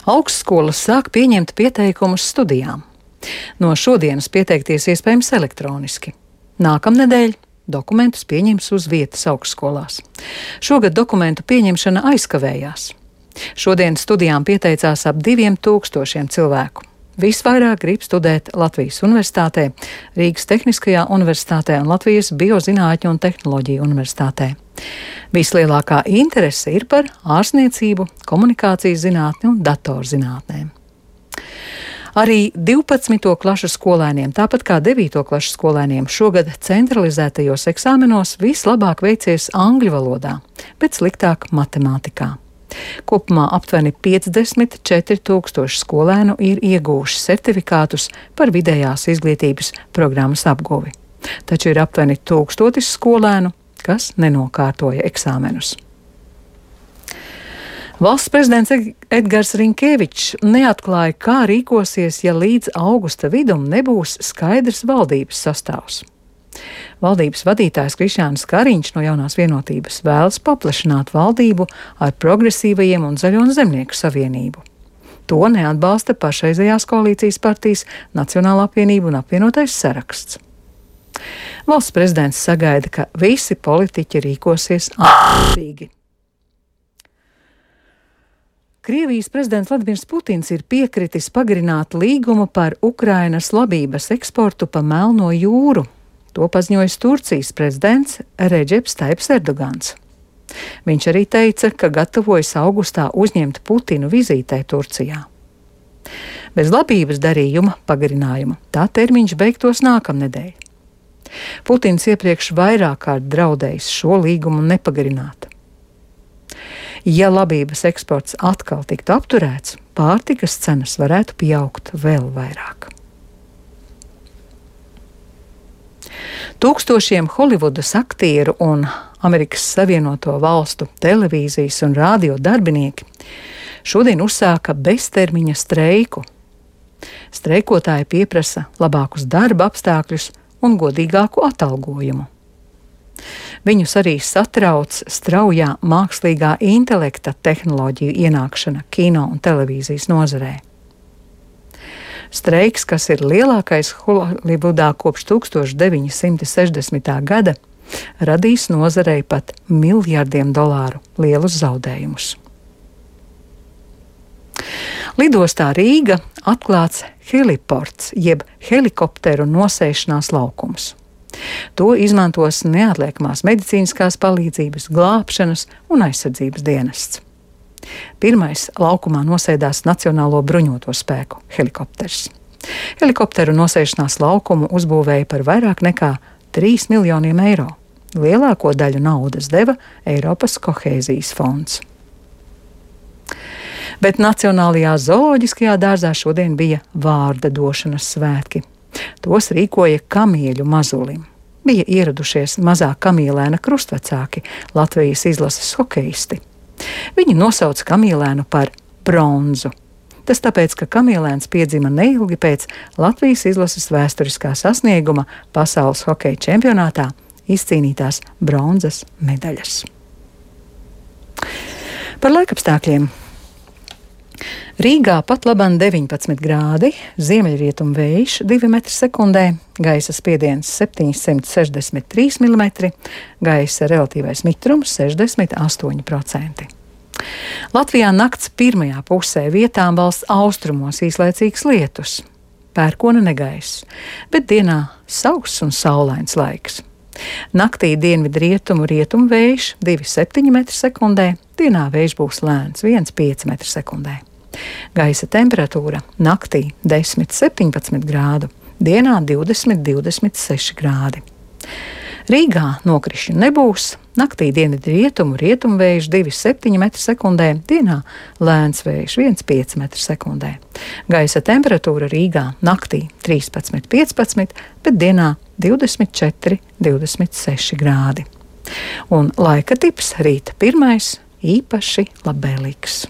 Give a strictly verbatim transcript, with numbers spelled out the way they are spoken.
Augstskolas sāk pieņemt pieteikumus studijām. No šodienas pieteikties iespējams elektroniski. Nākamnedēļ dokumentus pieņems uz vietas augstskolās. Šogad dokumentu pieņemšana aizkavējās. Šodien studijām pieteicās ap diviem tūkstošiem cilvēku. Visvairāk grib studēt Latvijas Universitātē, Rīgas Tehniskajā universitātē un Latvijas Biozinātņu un tehnoloģiju universitātē. Vislielākā interese ir par ārstniecību, komunikācijas zinātni un datorzinātnēm. Arī divpadsmito klašu skolēniem, tāpat kā devīto klašu skolēniem, šogad centralizētajos eksāmenos vislabāk veicies angļu valodā, bet sliktāk matemātikā. Kopumā aptuveni piecdesmit četri tūkstoši skolēnu ir iegūši certifikātus par vidējās izglītības programmas apguvi. Taču ir aptuveni tūkstotis skolēnu, kas nenokārtoja eksāmenus. Valsts prezidents Edgars Rinkēvičs neatklāja, kā rīkosies, ja līdz augusta vidum nebūs skaidrs valdības sastāvs. Valdības vadītājs Krišjānis Kariņš no Jaunās vienotības vēlas paplašināt valdību ar progresīvajiem un Zaļo un Zemnieku savienību. To neatbalsta pašreizējās koalīcijas partijas Nacionālā apvienība un apvienotais saraksts. Valsts prezidents sagaida, ka visi politiķi rīkosies atbildīgi. Krievijas prezidents Vladimirs Putins ir piekritis pagarināt līgumu par Ukrainas labības eksportu pa Melno jūru. To paziņoja Turcijas prezidents Redžeps Taips Erdogans. Viņš arī teica, ka gatavojas augustā uzņemt Putinu vizītē Turcijā. Bez labības darījuma pagarinājuma tā termiņš beigtos nākamnedēļ. Putins iepriekš vairāk kārt draudējis šo līgumu nepagarināt. Ja labības eksports atkal tiktu apturēts, pārtikas cenas varētu pieaugt vēl vairāk. Tūkstošiem Holivudas aktieru un Amerikas Savienoto Valstu televīzijas un rādio darbinieki šodien uzsāka beztermiņa streiku. Streikotāji pieprasa labākus darba apstākļus un godīgāku atalgojumu. Viņus arī satrauc straujā mākslīgā intelekta tehnoloģiju ienākšana kino un televīzijas nozarē. Streiks, kas ir lielākais Holivudā kopš tūkstoš deviņi simti sešdesmitā gada, radīs nozarei pat miljardiem dolāru lielus zaudējumus. Lidostā Rīga atklāts heliports, jeb helikopteru nosēšanās laukums. To izmantos neatliekamās medicīniskās palīdzības, glābšanas un aizsardzības dienests. Pirmais laukumā nosēdās Nacionālo bruņoto spēku helikopters. Helikopteru nosēšanās laukumu uzbūvēja par vairāk nekā trīs miljoniem eiro. Lielāko daļu naudas deva Eiropas kohēzijas fonds. Bet Nacionālajā zooloģiskajā dārzā šodien bija vārda došanas svētki. Tos rīkoja kamieļu mazulim. Bija ieradušies mazā kamielēna krustvecāki, Latvijas izlases hokeisti. Viņi nosauca kamielēnu par bronzu. Tas tāpēc, ka kamielēns piedzima neilgi pēc Latvijas izlases vēsturiskā sasnieguma pasaules hokeja čempionātā izcīnītās bronzas medaļas. Par laikapstākļiem. Rīgā pat labam deviņpadsmit grādi, ziemeļrietumu vējš divi metri sekundē, gaisa spiediens septiņsimt sešdesmit trīs milimetri, gaisa relatīvais mitrums sešdesmit astoņi procenti. Latvijā nakts pirmajā pusē vietām valsts austrumos īslaicīgs lietus, pērkona negaiss, bet dienā sauss un saulains laiks. Naktī dienvidu rietumu rietumu vējš divi septiņi metri sekundē, dienā vējš būs lēns viens pieci metri sekundē. Gaisa temperatūra naktī desmit septiņpadsmit grādu, dienā divdesmit divdesmit seši grādi. Rīgā nokrišņu nebūs, naktī dienvidu rietumu rietumu vējš divi septiņi metri sekundē, dienā lēns vējš viens pieci metri sekundē. Gaisa temperatūra Rīgā naktī trīspadsmit piecpadsmit, bet dienā divdesmit četri divdesmit seši grādi. Un laika tips rīta pirmais īpaši labvēlīgs.